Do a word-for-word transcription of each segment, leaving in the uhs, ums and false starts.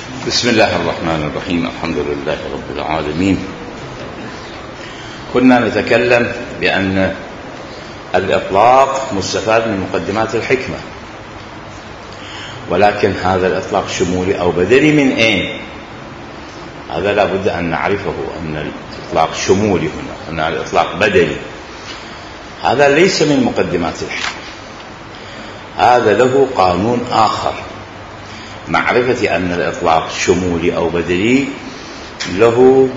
بسم الله الرحمن الرحيم. الحمد لله رب العالمين. كنا نتكلم بأن الإطلاق مستفاد من مقدمات الحكمة، ولكن هذا الإطلاق شمولي أو بدلي من أين؟ هذا لا بد أن نعرفه، أن الإطلاق شمولي هنا، أن الإطلاق بدلي. هذا ليس من مقدمات الحكمة، هذا له قانون آخر. معرفة أن الإطلاق شمولي أو بدلي له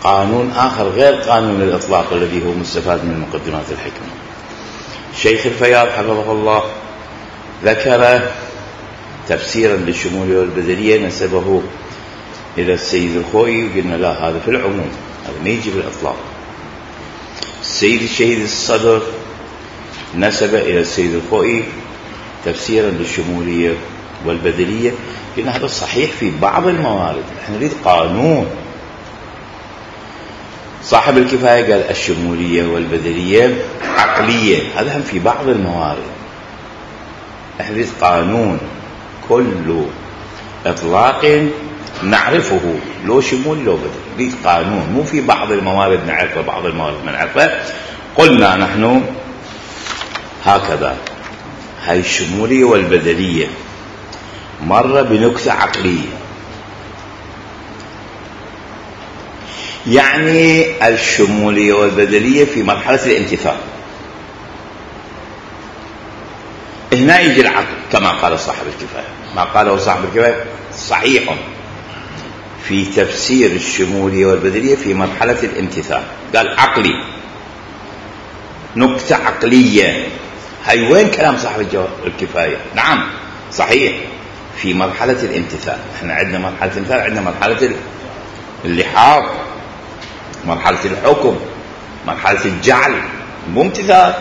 قانون آخر غير قانون الإطلاق الذي هو مستفاد من مقدمات الحكمة. شيخ الفياض حفظه الله ذكر تفسيرا للشمولية والبدلية نسبه إلى السيد الخوئي، وقلنا لا، هذا في العموم، هذا ما يجي بالإطلاق. السيد الشهيد الصدر نسب إلى السيد الخوئي تفسيرا للشمولية والبدلية، قلنا هذا صحيح في بعض الموارد، احنا نريد قانون. صاحب الكفاية قال الشمولية والبدلية عقلية، هذا هم في بعض الموارد. احنا نريد قانون، كل إطلاق نعرفه لو شمولي لو بدلي، نريد قانون، مو في بعض الموارد نعرفه بعض الموارد ما نعرفه. قلنا نحن هكذا، هاي الشمولية والبدلية مرة بنكتة عقلية، يعني الشمولية والبدلية في مرحلة الامتثال. هنا يجي العقل كما قال صاحب الكفاية، ما قاله صاحب الكفاية صحيح في تفسير الشمولية والبدلية في مرحلة الامتثال، قال عقلي، نكتة عقلية. هاي وين كلام صاحب الكفاية؟ نعم صحيح في مرحلة الامتثال. احنا عندنا مرحلة الامتثال، عندنا مرحلة اللحاظ، مرحلة الحكم، مرحلة الجعل، مو امتثال.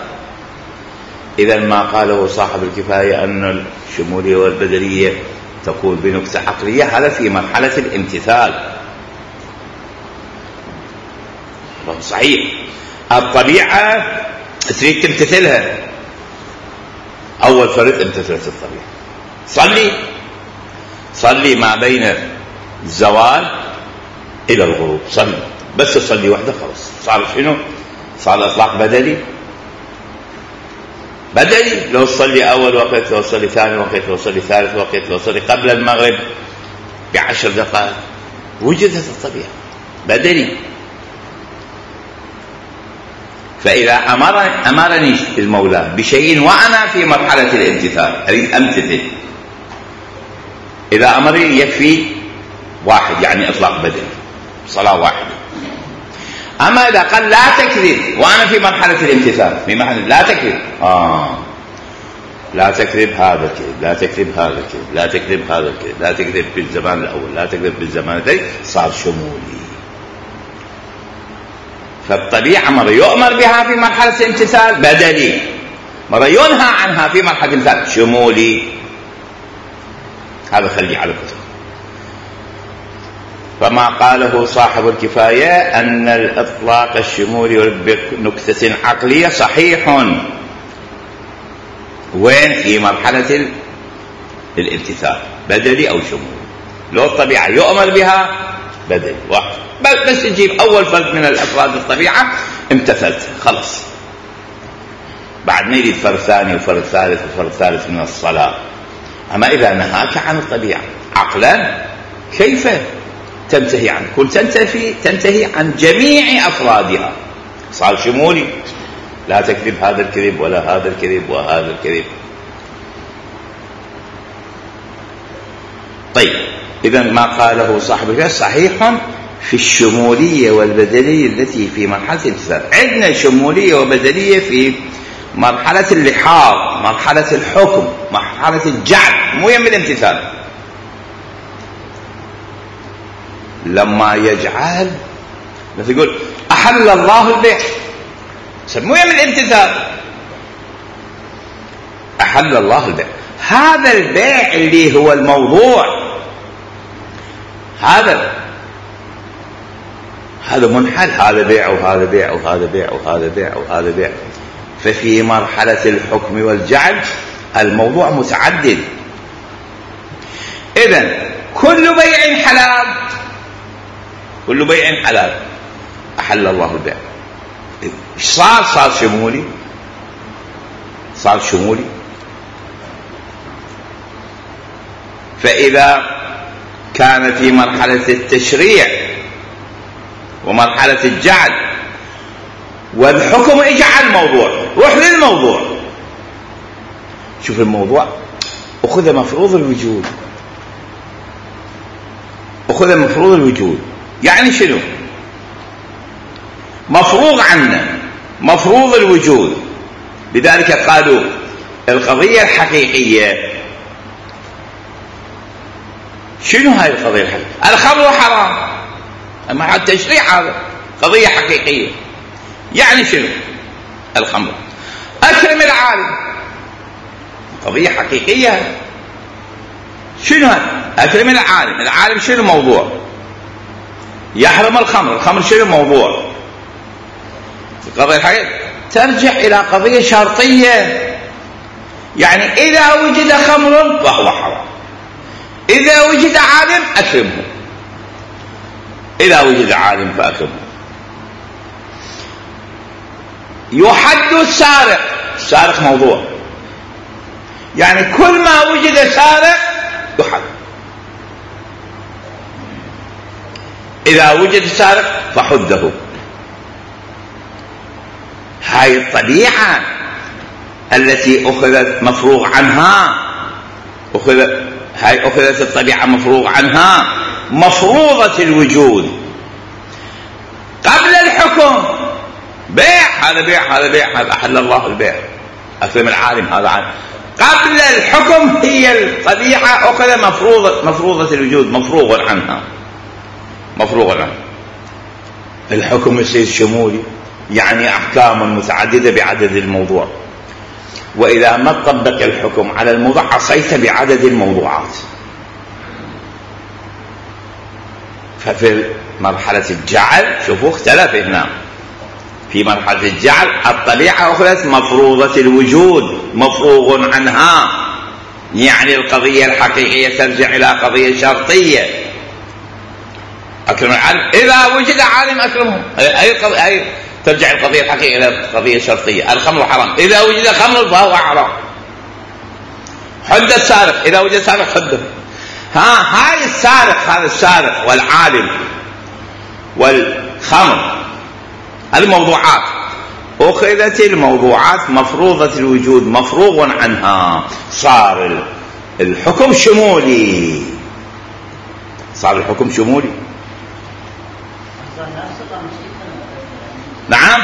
إذا ما قاله صاحب الكفاية أن الشمولية والبدلية تكون بنكتة عقلية، هذا في مرحلة الامتثال، صحيح. الطبيعة تريد تمتثلها، أول فرد امتثلت الطبيعة. صلي صلي ما بين الزوال إلى الغروب، صلي بس تصلي وحده خلاص، صار شنو؟ صار إطلاق بدلي. بدلي لو تصلي أول وقت، لو تصلي ثاني وقت، لو تصلي ثالث وقت، لو تصلي قبل المغرب بعشر دقائق، وجدت الطبيعة بدلي. فإذا أمر أمرني المولى بشيء وأنا في مرحلة الامتثال أريد أمتثل، إذا أمرني يكفي واحد، يعني إطلاق بدلي، صلاة واحدة. أما إذا قال لا تكذب وأنا في مرحلة الامتثال، في مرحلة لا تكذب، آه لا تكذب هذا الكذب، لا تكذب هذا الكذب، لا تكذب هذا الكذب، لا تكذب بالزمان الأول، لا تكذب بالزمان الثاني، صار شمولي. فالطبيعة مرة يؤمر بها في مرحلة الامتثال بدلي، مرة ينهى عنها في مرحلة الامتثال شمولي. هذا خلي على كتب. فما قاله صاحب الكفاية أن الإطلاق الشمولي بنكتة عقلية صحيح، وين؟ في مرحلة الامتثال بدلي أو شمولي. لو الطبيعة يؤمر بها بدلي واحد، بس تجيب أول فرد من الأفراد الطبيعة امتثلت خلص، بعد ما يريد فرد ثاني وفرد ثالث وفرد ثالث من الصلاة. أما إذا نهاك عن الطبيعة عقلا كيف تنتهي عنه؟ كل تنتهي تنتهي عن جميع أفرادها، صار شمولي، لا تكذب هذا الكذب ولا هذا الكذب وهذا الكذب. طيب إذا ما قاله صاحب الكفاية صحيح في الشمولية والبدلية التي في مرحلة الامتثال. عندنا شمولية وبدلية في مرحلة اللحاظ، مرحلة الحكم، مرحلة الجعل، مو يم الامتثال. لما يجعل مثل يقول أحل الله البيع، مو يم الامتثال، أحل الله البيع. هذا البيع اللي هو الموضوع، هذا هذا منحل، هذا بيع وهذا بيع وهذا بيع وهذا بيع وهذا بيع. ففي مرحلة الحكم والجعل الموضوع متعدد. إذن كل بيع حلال، كل بيع حلال، أحل الله البيع. ايش صار؟ صار شمولي، صار شمولي. فإذا كان في مرحلة التشريع ومرحلة الجعل والحكم اجعل الموضوع، روح للموضوع، شوف الموضوع أخذ مفروض الوجود، أخذ مفروض الوجود. يعني شنو؟ مفروغ عنه، مفروض الوجود. لذلك قالوا القضية الحقيقية شنو هاي القضية الحقيقية؟ الخمر حرام، أما حتى التشريع هذا قضية حقيقية. يعني شنو الخمر؟ أكرم العالم، قضية حقيقية. شنو هذا؟ أكرم العالم، العالم شنو موضوع؟ يحرم الخمر، الخمر شنو موضوع؟ القضية الحقيقية ترجع إلى قضية شرطية. يعني إذا وجد خمر فهو حرام، إذا وجد عالم أكرمه، إذا وجد عالم فأكرمه. يحد السارق، السارق موضوع، يعني كل ما وجد سارق يحد. إذا وجد سارق فحده. هاي الطبيعة التي أخذت مفروغ عنها، أخذت هاي أخذت الطبيعة مفروغ عنها، مفروضة الوجود. قبل الحكم بيع، هذا بيع، هذا بيع، هذا أحل الله البيع، أكرم العالم، هذا عالم. قبل الحكم هي الطبيعة أخذ مفروضة، مفروضة الوجود، مفروغ عنها، مفروغ عنها. الحكم يصير شمولي، يعني أحكام متعددة بعدد الموضوع. وإذا ما تطبق الحكم على الموضوع عصيت بعدد الموضوعات. ففي مرحلة الجعل شوفوا اختلف هنا، في مرحلة الجعل الطبيعة أخذت مفروضة الوجود، مفروغ عنها، يعني القضية الحقيقية ترجع إلى قضية شرطية. أكرم العالم، إذا وجد عالم أكرمه، أي أي ترجع القضية الحقيقية إلى قضية شرطية. الخمر حرام، إذا وجد خمر فهو حرام. حد السارق، إذا وجد سارق حده. ها هاي السارق، هذا السارق والعالم والخمر، الموضوعات أخذت الموضوعات مفروضة الوجود، مفروغ عنها، صار الحكم شمولي، صار الحكم شمولي. نعم،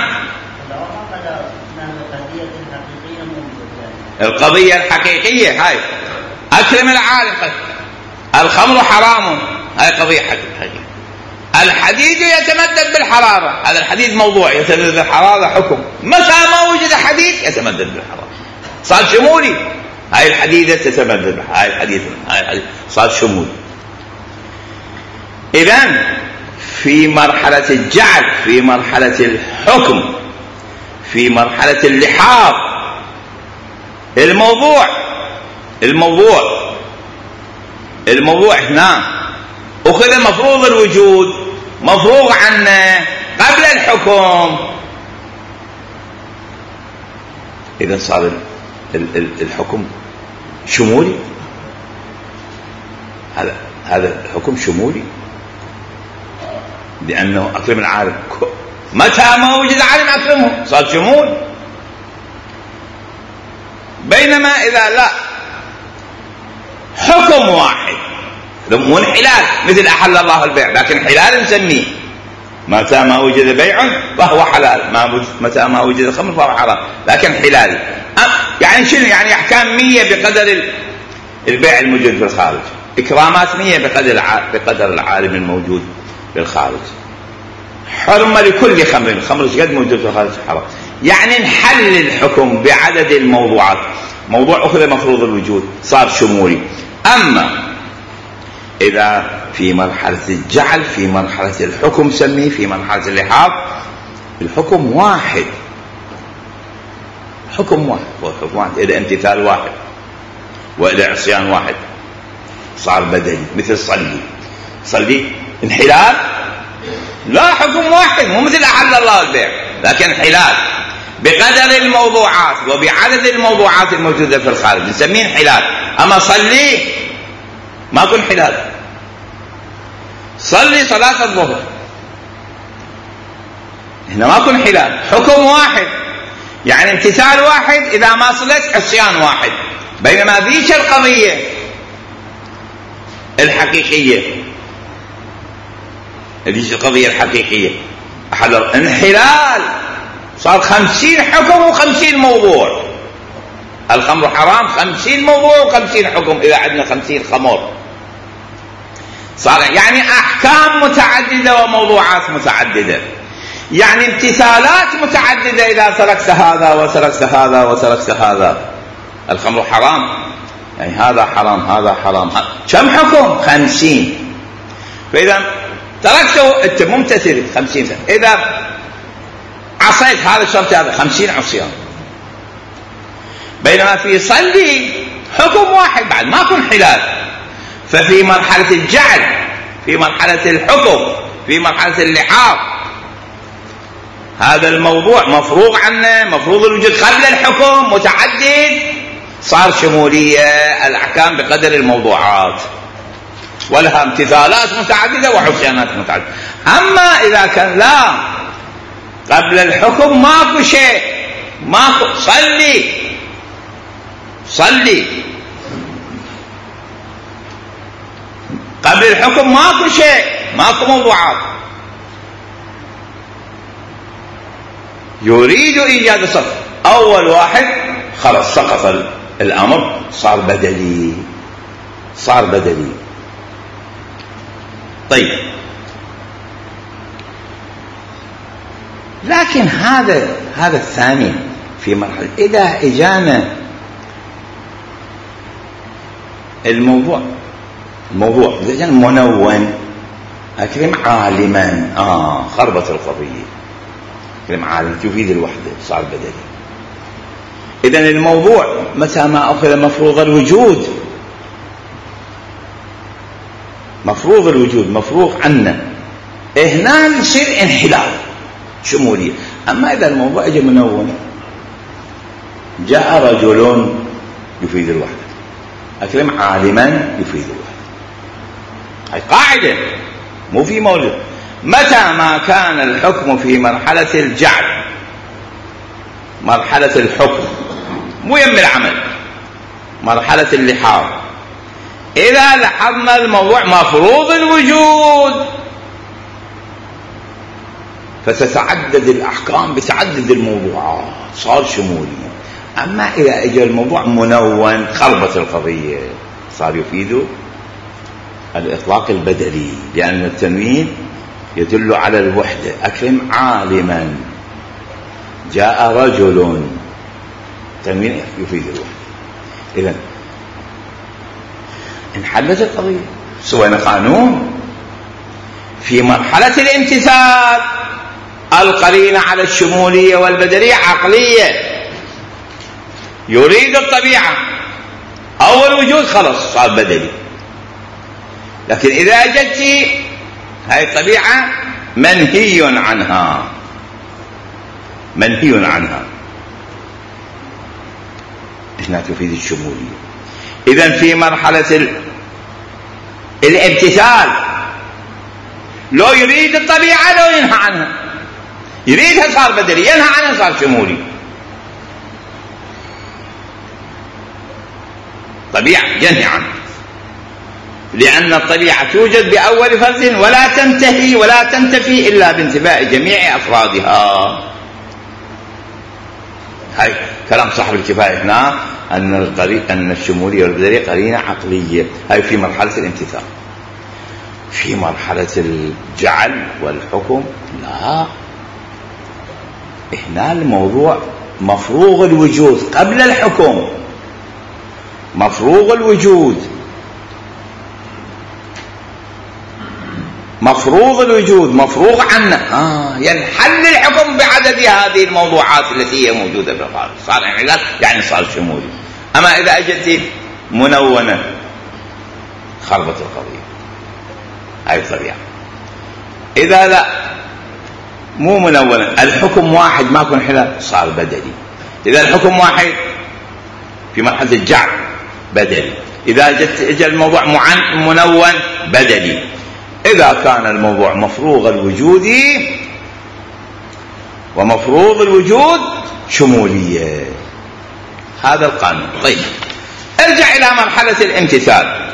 القضية الحقيقية هاي أكرم العالم، الخمر حرام، هاي قضية حقيقية. الحديد يتمدد بالحرارة، هذا الحديد موضوع يتمدد بالحرارة، حكم. متى ما وجد حديد يتمدد بالحرارة، صار شمولي. هاي الحديدة تتمدد، هاي الحديد، هاي الحديد صار شمولي. إذن في مرحلة الجعل، في مرحلة الحكم، في مرحلة اللحاظ، الموضوع الموضوع الموضوع هنا أخذ مفروض الوجود، مفروغ عنه قبل الحكم. إذا صار الحكم شمولي، هذا هذا الحكم شمولي، لأنه أكرم العالم، متى ما وجد عالم أكرمه، صار شمول. بينما إذا لا، حكم واحد، مو انحلال مثل أحل الله البيع، لكن حلال نسميه متى ما وجد بيع فهو حلال، ما متى ما وجد خمر فهو حرام، لكن حلال. يعني شنو؟ يعني أحكام مية بقدر البيع الموجود في الخارج، إكرامات مية بقدر بقدر العالم الموجود في الخارج، حرمة لكل خمر، الخمر قد موجود في الخارج حرام. يعني نحل الحكم بعدد الموضوعات، موضوع أخذ مفروض الوجود صار شمولي. أما إذا في مرحلة الجعل، في مرحلة الحكم سميه، في مرحلة اللحاظ، الحكم واحد، حكم واحد، والحكم واحد إلى امتثال واحد وإلى عصيان واحد. صار بدلي. مثل صلي، صلي انحلال؟ لا، حكم واحد، مو مثل أحل الله البيع، لكن انحلال بقدر الموضوعات وبعدد الموضوعات الموجودة في الخارج نسميه انحلال. أما صلي ماكو انحلال. صلي صلاة الظهر هنا ماكو انحلال، حكم واحد، يعني امتثال واحد، إذا ما صلت عصيان واحد. بينما ذيك القضية الحقيقية، ذيك القضية الحقيقية أحلل انحلال، صار خمسين حكم وخمسين موضوع. الخمر حرام خمسين موضوع وخمسين حكم، إذا عندنا خمسين خمر صار يعني أحكام متعددة وموضوعات متعددة، يعني امتثالات متعددة. إذا تركت هذا وتركت هذا وتركت هذا. الخمر حرام، يعني هذا حرام هذا حرام، كم حكم؟ خمسين. فإذا تركته أنت ممتثل خمسين سنة. إذا عصيت هذا الشرط هذا خمسين عصيان. بينما في صلي حكم واحد، بعد ماكو انحلال. ففي مرحلة الجعل، في مرحلة الحكم، في مرحلة اللحاظ، هذا الموضوع مفروغ عنه، مفروض الوجود قبل الحكم، متعدد، صار شمولية الأحكام بقدر الموضوعات، ولها امتثالات متعددة وحسيانات متعددة. أما إذا كان لا، قبل الحكم ماكو شيء، ماكو صلي صلي قبل الحكم ماكو شيء، ماكو موضوعات. يريد إيجاد الصف، أول واحد خلص سقط الأمر، صار بدلي، صار بدلي. طيب، لكن هذا هذا الثاني في مرحلة إذا إجانا الموضوع الموضوع إذا كان منون، أكرم عالما، آه خربت القضية. أكرم عالم تفيد الوحدة، صار بدلي. إذن الموضوع متى ما أخذ مفروض الوجود، مفروض الوجود مفروغ عنه، هنا يصير انحلال شمولية. أما إذا الموضوع أجي منون، جاء رجل يفيد الوحدة، أكرم عالما يفيد الوحدة، هاي قاعدة مو في مولد. متى ما كان الحكم في مرحلة الجعل، مرحلة الحكم مو يم العمل، مرحلة اللحاظ، إذا لاحظنا الموضوع مفروض الوجود فتتعدد الأحكام بتعدد الموضوعات، صار شمولي. أما إذا اجى الموضوع منون، خربت القضية، صار يفيد الإطلاق البدلي، لأن التنوين يدل على الوحدة. أكرم عالما، جاء رجل، تنوين يفيد الوحدة. إذن انحلت القضية، سوينا قانون. في مرحلة الامتثال القرينة على الشمولية والبدلية عقلية، يريد الطبيعة أول وجود، خلص صار بدلي. لكن إذا أجت هاي الطبيعة منهي عنها، منهي عنها، هنا تفيد الشمولية. إذن في مرحلة الامتثال لو يريد الطبيعة لو ينهى عنها، يريدها صار بدلي، ينهى عنها صار شمولي. طبيعة ينهي عنها، لأن الطبيعة توجد بأول فرد ولا تنتهي ولا تنتفي إلا بانتفاء جميع أفرادها. هاي كلام صاحب الكفاية هنا، أن القري... أن الشمولية والبدلية قرينة عقلية. هاي في مرحلة الامتثال. في مرحلة الجعل والحكم لا، هنا الموضوع مفروغ الوجود قبل الحكم، مفروغ الوجود، مفروض الوجود مفروغ عنه، آه ينحل الحكم بعدد هذه الموضوعات التي هي موجودة في الخارج، صار انحلال يعني صار شمولي. أما إذا أجت منونة خربت القضية. هاي الطبيعة. إذا لا مو منونا الحكم واحد ماكو انحلال صار بدلي. إذا الحكم واحد في مرحلة الجعل بدلي. إذا جت اجى الموضوع منون بدلي. إذا كان الموضوع مفروغ الوجود ومفروض الوجود شمولية. هذا القانون. طيب ارجع إلى مرحلة الامتثال.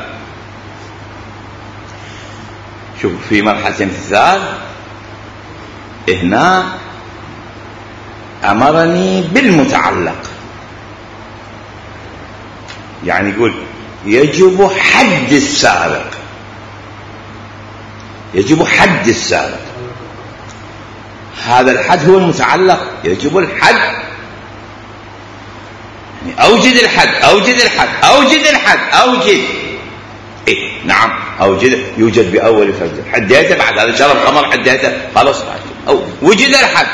شوف في مرحلة الامتثال هنا أمرني بالمتعلق، يعني يقول يجب حد السارق، يجب حد السارق. هذا الحد هو المتعلق، يجب الحد، يعني أوجد الحد أوجد الحد أوجد الحد أوجد إيه نعم أوجد، يوجد بأول فرد حديته، بعد هذا شرب خمر حديته خلاص أو وجد الحد.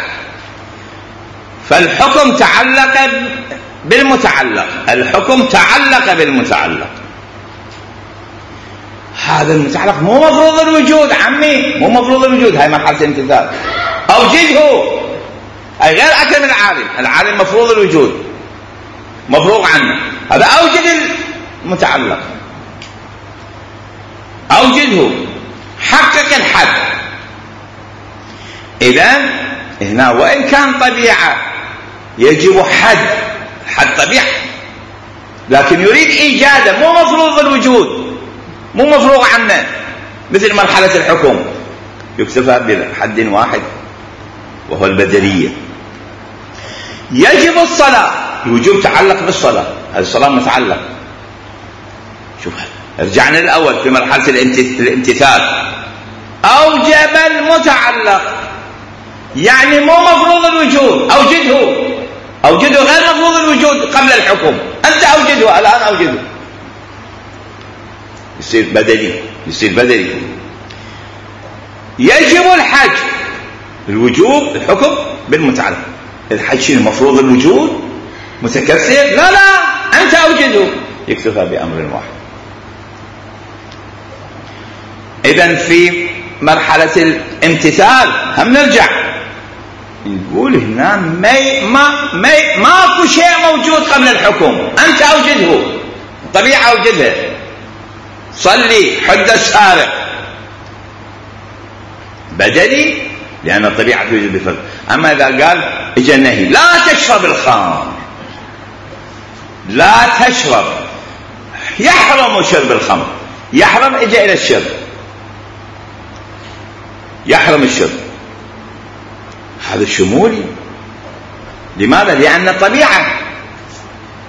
فالحكم تعلق بالمتعلق، الحكم تعلق بالمتعلق. هذا المتعلق مو مفروض الوجود عمي، مو مفروض الوجود. هاي مرحلة الامتثال. أوجده، أي غير أكل العالم. العالم مفروض الوجود، مفروغ عنه. هذا أوجد المتعلق، أوجده، حقق الحد. إذن هنا وإن كان طبيعة يجب حد، حد طبيعة، لكن يريد إيجاده، مو مفروض الوجود، مو مفروغ عنه. مثل مرحلة الحكم يكتفى بحد واحد وهو البدلية. يجب الصلاة، الوجوب تعلق بالصلاة، هذه الصلاة متعلق. شوف رجعنا الأول في مرحلة الامتثال. أوجب المتعلق، يعني مو مفروض الوجود، أوجده، أوجده غير مفروض الوجود قبل الحكم. أنت أوجده، الآن أوجده، يصير بدلي، يصير بدلي. يجب الحج، الوجوب الحكم بالمتعلق. الحج شنو مفروض الوجود متكسر؟ لا لا أنت أوجده، يكتفى بأمر واحد. إذن في مرحلة الامتثال هم نرجع نقول هنا ما ما ما ماكو شيء موجود قبل الحكم، أنت أوجده، الطبيعة أوجدها. صلي حد السارق بدلي لأن الطبيعة توجد بفرق. أما إذا قال إجا النهي لا تشرب الخمر، لا تشرب، يحرم شرب الخمر، يحرم إجا إلى الشرب، يحرم الشرب، هذا شمولي. لماذا؟ لأن الطبيعة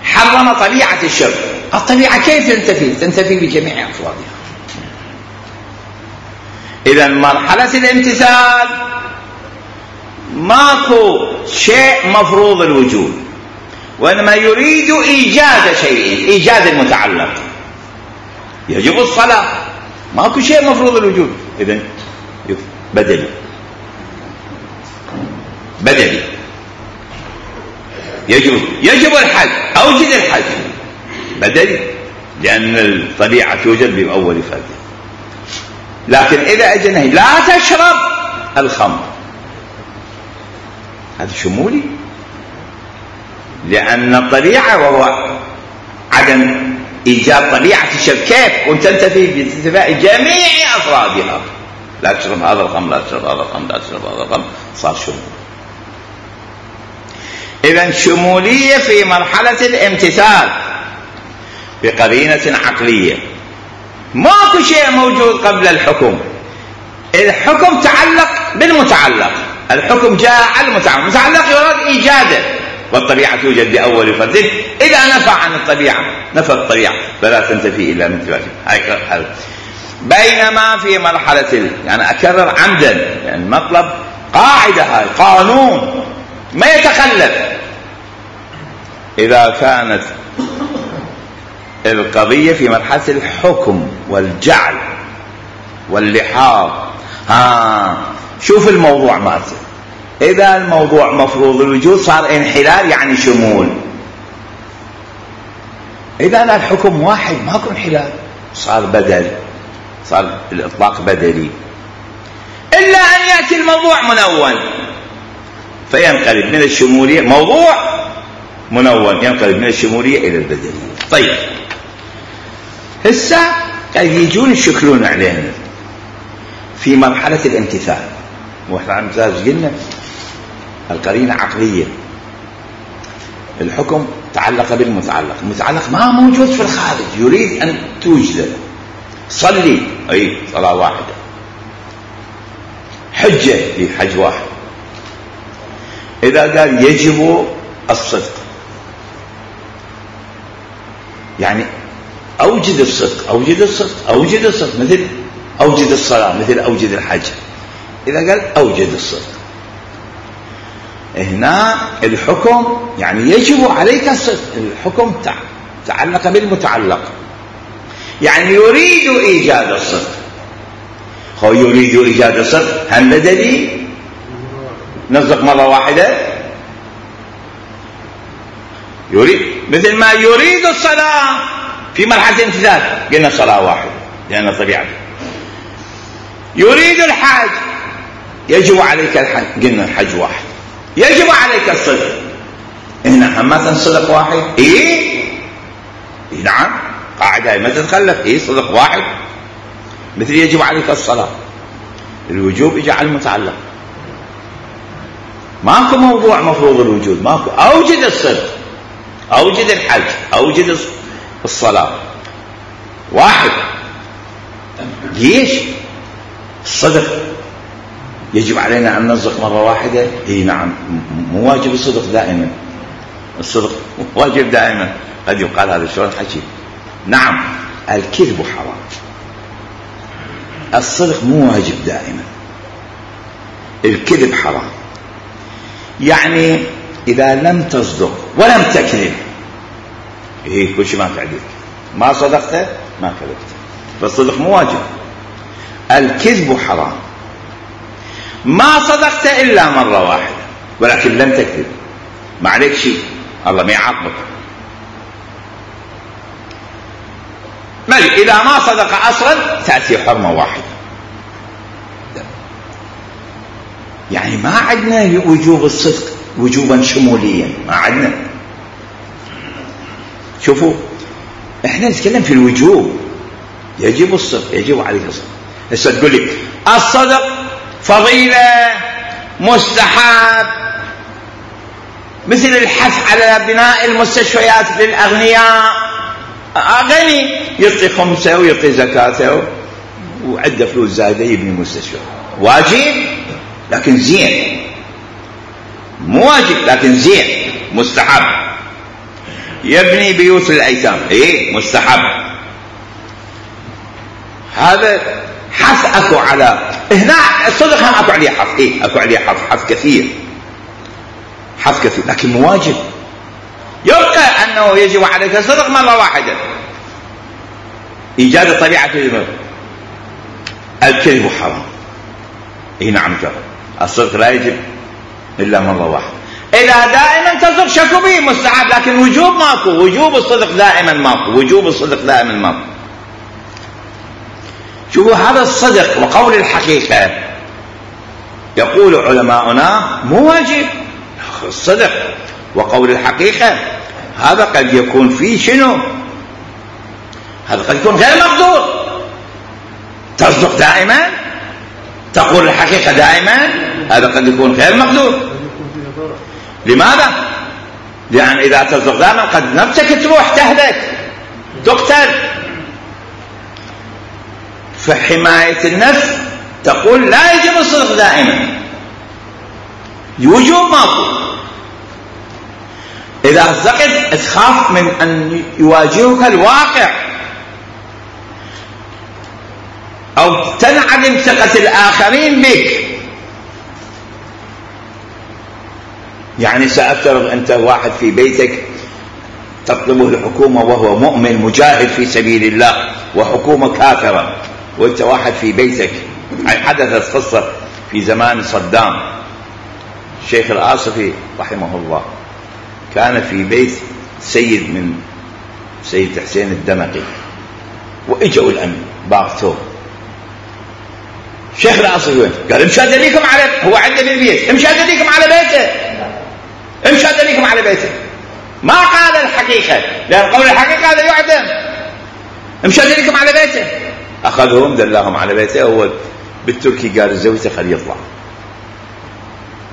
حرم طبيعة الشرب. الطبيعة كيف تنتفي؟ تنتفي بجميع أفرادها. إذن مرحلة الامتثال ماكو شيء مفروض الوجود، وإنما يريد إيجاد شيء، إيجاد المتعلق. يجب الصلاة، ماكو شيء مفروض الوجود، إذن بدلي، بدلي. يجب يجب الحج، أوجد الحج، بدلي لأن الطبيعة توجد بأول فرد. لكن إذا أجى نهي لا تشرب الخمر، هذا شمولي، لأن الطبيعة وهو عدم إيجاد طبيعة الشرب. كيف؟ وتنتفي بانتفاء جميع أفرادها. لا تشرب هذا الخمر، لا تشرب هذا الخمر، لا تشرب هذا الخمر، صار شمول. إذن شمولية في مرحلة الامتثال بقرينة عقلية. ماكو شيء موجود قبل الحكم، الحكم تعلق بالمتعلق، الحكم جاء على المتعلق، المتعلق يراد إيجاده، والطبيعة توجد بأول فرد. إذا نفى عن الطبيعة، نفى الطبيعة، فلا تنتفي إلا من تواجد. هاي بينما في مرحلة، يعني أكرر عمدا، يعني المطلب قاعدة، هاي قانون ما يتخلف. إذا كانت القضية في مرحلة الحكم والجعل واللحاظ، ها شوف الموضوع مالته. إذا الموضوع مفروض الوجود صار انحلال، يعني شمول. إذا لا الحكم واحد ماكو انحلال، صار بدل، صار الإطلاق بدلي، إلا أن يأتي الموضوع منون فينقلب من الشمولية، موضوع منون ينقلب من الشمولية إلى البدلية. طيب هسه قاعد يجون يشكلون علينا في مرحلة الامتثال. واحنا عم قلنا القرينة عقلية، الحكم تعلق بالمتعلق، المتعلق ما موجود في الخارج، يريد أن توجد. صلي، أي صلاة واحدة. حجة، لي حج واحد. إذا قال يجب الصدق، يعني أوجد الصدق، أوجد الصدق، أوجد الصدق، مثل أوجد الصلاة، مثل أوجد الحج. إذا قال أوجد الصدق، هنا الحكم يعني يجب عليك الصدق، الحكم تعلق بالمتعلق، يعني يريد إيجاد الصدق. هو يريد إيجاد الصدق، هل بدلي نصدق مرة واحدة؟ يريد، مثل ما يريد الصلاة في مرحلة الامتثال قلنا صلاة واحدة لأن طبيعته. يريد الحج، يجب عليك الحج، قلنا الحج واحد. يجب عليك الصدق، هنا همة صدق واحد. إيه؟, إيه نعم، قاعدة ما تتخلف. إيه صدق واحد. مثل يجب عليك الصلاة، الوجوب يجعل المتعلق، ماكو موضوع مفروض الوجود، ماكو. أوجد الصدق، أوجد الحج، أوجد الصلاة، واحد. ليش الصدق يجب علينا أن نصدق مرة واحدة؟ إيه نعم، مو واجب الصدق دائما، الصدق واجب دائما. قد يقال هذا شلون حكي؟ نعم، الكذب حرام، الصدق مو واجب دائما، الكذب حرام. يعني إذا لم تصدق ولم تكذب، إيه كل شيء ما تعديك، ما صدقت ما كذبت، فالصدق مو واجب. الكذب حرام، ما صدقت إلا مرة واحدة ولكن لم تكذب، ما عليك شيء، الله ما يعاقبك. مالي إذا ما صدق أصلا تأتي حرمة واحدة. يعني ما عندنا وجوب الصدق وجوبا شموليا، ما عندنا. شوفوا احنا نتكلم في الوجوب، يجب الصدق، يجب عليك الصدق. هسه تقول لي الصدق فضيلة مستحب، مثل الحث على بناء المستشفيات للأغنياء، غني يعطي خمسة ويعطي زكاته وعنده فلوس زايدة يبني مستشفى، واجب لكن زين، مو واجب لكن زين، مستحب. يبني بيوت الأيتام، ايه مستحب. هذا حث اكو على، هنا الصدق هم اكو عليه حث، ايه اكو عليه حث، حث كثير، حث كثير، لكن مو واجب. يبقى انه يجب عليك الصدق مرة واحدة، ايجاد طبيعة الذنب. الكذب حرام، اي نعم جرب. الصدق لا يجب الا مرة واحدة. إذا دائما تصدق شكو به مستحب، لكن وجوب ماكو، وجوب الصدق دائما ماكو، وجوب الصدق دائما ماكو. شوفوا هذا الصدق وقول الحقيقة، يقول علماؤنا مو واجب الصدق وقول الحقيقة، هذا قد يكون فيه شنو؟ هذا قد يكون غير مقدور. تصدق دائما، تقول الحقيقة دائما، هذا قد يكون غير مقدور. لماذا؟ لأن إذا تصدق دائما قد نفسك تروح تهلك تقتل. فحماية النفس تقول لا يجب الصدق دائما، وجوب ماكو. إذا صدقت تخاف من أن يواجهك الواقع أو تنعدم ثقة الآخرين بك. يعني سأفترض أنت واحد في بيتك تطلبه الحكومة وهو مؤمن مجاهد في سبيل الله وحكومة كافرة، وأنت واحد في بيتك. حدثت قصة في زمان صدام، الشيخ الآصفي رحمه الله كان في بيت سيد من سيد حسين الدمقي، واجوا الامن باغتوه. شيخ الاصل وين؟ قال امشي ادليكم على، هو عنده بالبيت، امشي ادليكم على بيته، امشي ادليكم على بيته. ما قال الحقيقه، لان قول الحقيقه هذا يعدم. امشي ادليكم على بيته. اخذهم دلاهم على بيته. هو بالتركي قال زوجته خليه يطلع.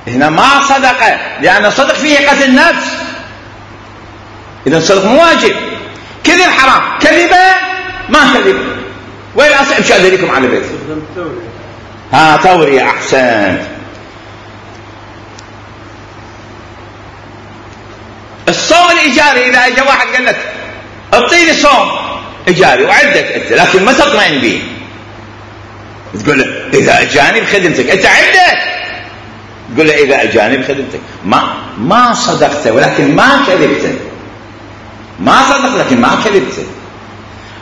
هنا ما صدق، لان صدق فيه قتل نفس. اذا الصدق مو واجب. كذب حرام، كذبه ما كذب. وين اصل؟ امشي ادليكم على بيته. ها تورية احسنت. الصوم الايجاري اذا اجى واحد قال لك اعطيني صوم ايجاري وعدك انت، لكن ما تطمئن به، تقول له اذا اجاني بخدمتك، انت عدك تقول له اذا اجاني بخدمتك. ما ما صدقت ولكن ما كذبت، ما صدق لكن ما كذبت.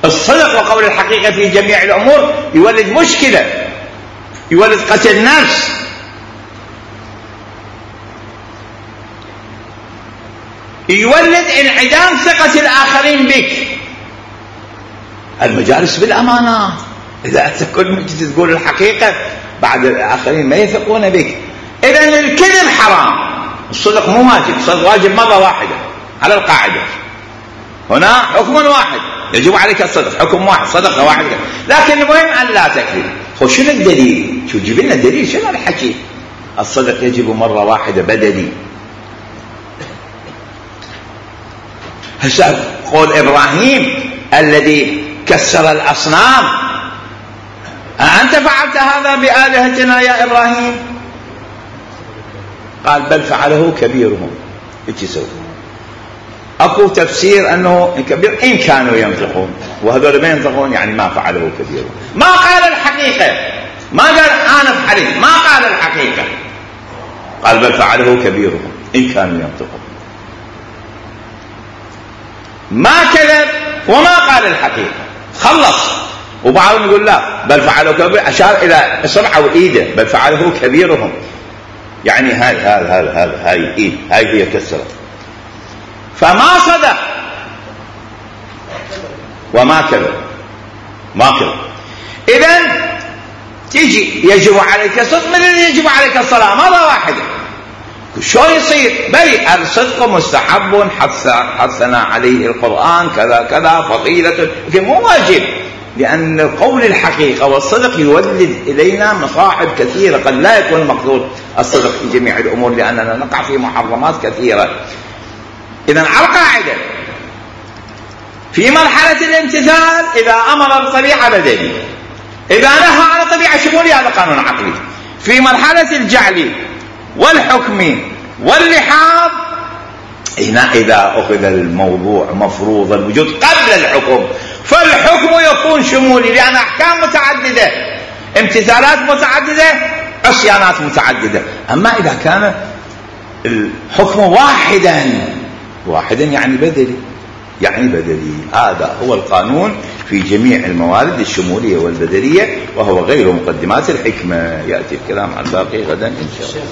الصدق وقول الحقيقه في جميع الامور يولد مشكله، يولد قتل نفس، يولد انعدام ثقة الآخرين بك. المجالس بالأمانات، إذا أنت كل مجلس تقول الحقيقة بعد الآخرين ما يثقون بك. إذن الكذب حرام، الصدق مو واجب. الصدق واجب مرة واحدة على القاعدة. هنا حكم واحد يجب عليك الصدق، حكم واحد، صدقة واحدة. لكن المهم أن لا تكذب. هو شنو الدليل؟ شو جيب لنا الدليل؟ شنو الحكي؟ الصدق يجب مرة واحدة بدلي. هسه قول إبراهيم الذي كسر الأصنام، أنت فعلت هذا بآلهتنا يا إبراهيم؟ قال بل فعله كبيرهم. ايش يسوي؟ اكو تفسير انه كبير ان كانوا ينطقون، وهذول ما ينطقون يعني ما فعله كبيرهم. ما قال الحقيقة، ما قال انا فعلت، ما قال الحقيقة، قال بل فعله كبيرهم ان كانوا ينطقون. ما كذب وما قال الحقيقة، خلص. وبعضهم يقول لا بل فعله كبير، اشار الى اصبعه وايده، بل فعله كبيرهم، يعني هاي هاي هاي هاي هاي ايد، هاي هي كسرت. فما صدق وما كذب، ما كذب. اذن تيجي يجب عليك الصدق من اللي يجب عليك الصلاة مرة واحدة. شو يصير؟ بل الصدق مستحب حث حثنا عليه القرآن كذا كذا فضيلة، لكن مو واجب، لأن قول الحقيقة والصدق يولد إلينا مصاعب كثيرة. قد لا يكون المقصود الصدق في جميع الأمور، لأننا نقع في محرمات كثيرة. إذن على القاعدة في مرحلة الامتثال إذا أمر بطبيعة بدني، إذا نهى عن طبيعة شمولية هذا قانون عقلي. في مرحلة الجعل والحكم واللحاظ هنا إذا أخذ الموضوع مفروض الوجود قبل الحكم، فالحكم يكون شمولي، لأن أحكام متعددة، امتثالات متعددة، عصيانات متعددة. أما إذا كان الحكم واحدا، واحدا يعني بدلي، يعني بدلي. هذا هو القانون في جميع الموارد الشمولية والبدلية، وهو غير مقدمات الحكمة. يأتي الكلام عن باقي غدا إن شاء الله.